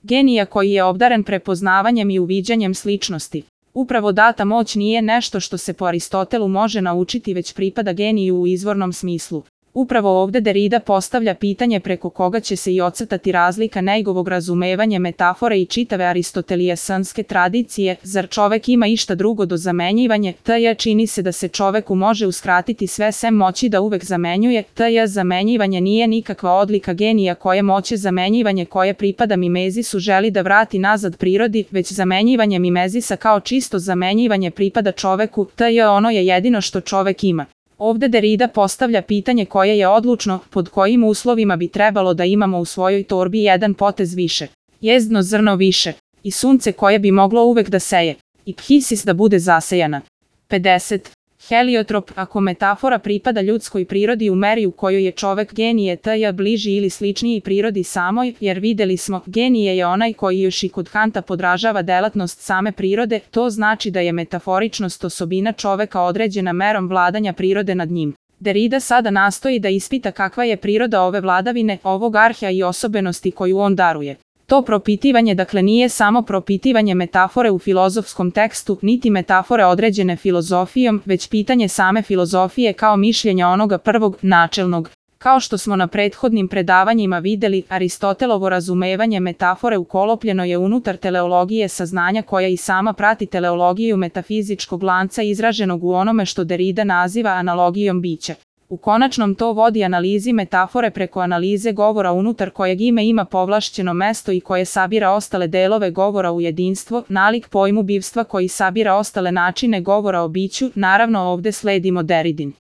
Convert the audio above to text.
genija koji je obdaren prepoznavanjem i uviđanjem sličnosti. Upravo data moć nije nešto što se po Aristotelu može naučiti, već pripada geniju u izvornom smislu. Upravo ovde Derrida postavlja pitanje preko koga će se i ocrtati razlika njegovog razumevanja metafore i čitave aristotelijanske tradicije. Zar čovek ima išta drugo do zamenjivanje? Čini se da se čoveku može uskratiti sve sem moći da uvek zamenjuje. Zamenjivanje nije nikakva odlika genija koje moće zamenjivanje koje pripada mimezisu želi da vrati nazad prirodi, već zamenjivanje mimezisa kao čisto zamenjivanje pripada čoveku. Ono je jedino što čovek ima. Ovde Derrida postavlja pitanje koje je odlučno, pod kojim uslovima bi trebalo da imamo u svojoj torbi jedan potez više, jezdno zrno više, i sunce koje bi moglo uvek da seje, i phisis da bude zasejana. 50. Heliotrop, ako metafora pripada ljudskoj prirodi u meri u kojoj je čovek genije bliži ili sličniji prirodi samoj, jer videli smo, genije je onaj koji još i kod Kanta podražava delatnost same prirode, to znači da je metaforičnost osobina čoveka određena merom vladanja prirode nad njim. Derrida sada nastoji da ispita kakva je priroda ove vladavine, ovog arhea i osobenosti koju on daruje. To propitivanje dakle nije samo propitivanje metafore u filozofskom tekstu, niti metafore određene filozofijom, već pitanje same filozofije kao mišljenja onoga prvog, načelnog. Kao što smo na prethodnim predavanjima videli, Aristotelovo razumevanje metafore ukolopljeno je unutar teleologije saznanja koja i sama prati teleologiju metafizičkog lanca izraženog u onome što Derrida naziva analogijom bića. U konačnom to vodi analizi metafore preko analize govora unutar kojeg ime ima povlašćeno mesto i koje sabira ostale delove govora u jedinstvo, nalik pojmu bivstva koji sabira ostale načine govora o biću, naravno ovde sledimo Derridin